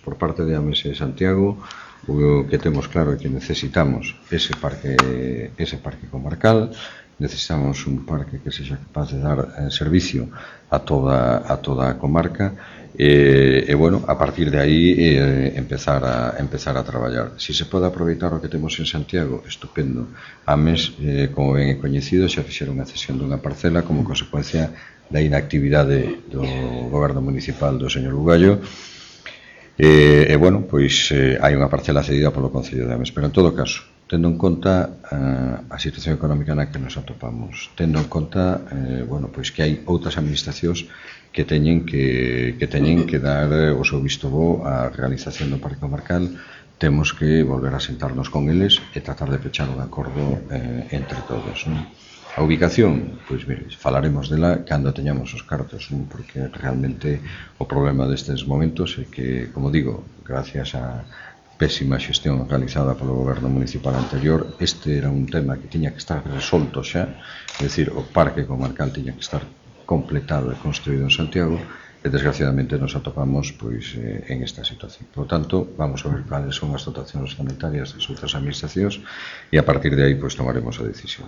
por parte de AMES e Santiago, o que temos claro é que necesitamos ese parque comarcal, necesitamos un parque que sexa capaz de dar servicio a toda a comarca e bueno, a partir de aí empezar a traballar. Si se pode aproveitar o que temos en Santiago, estupendo. AMES, como ben é coñecido, xa fixeron a cesión dunha parcela como consecuencia da inactividade do goberno municipal do señor Bugallo. E bueno, pois hai unha parcela cedida polo Concello de Ames, pero en todo caso, tendo en conta a situación económica na que nos atopamos, tendo en conta bueno, pois que hai outras administracións que teñen que dar o seu visto bo á realización do parque comarcal, temos que volver a sentarnos con eles e tratar de pechar un acordo entre todos, non? A ubicación, pois mire, falaremos dela cando teñamos os cartos, non? Porque realmente o problema destes momentos é que, como digo, gracias á pésima xestión realizada polo goberno municipal anterior, este era un tema que tiña que estar resolto xa, é dicir, o parque comarcal tiña que estar completado e construído en Santiago, e desgraciadamente nos atopamos pois en esta situación. Por tanto, vamos a ver cales son as dotacións sanitarias das outras administracións e a partir de aí pois tomaremos a decisión.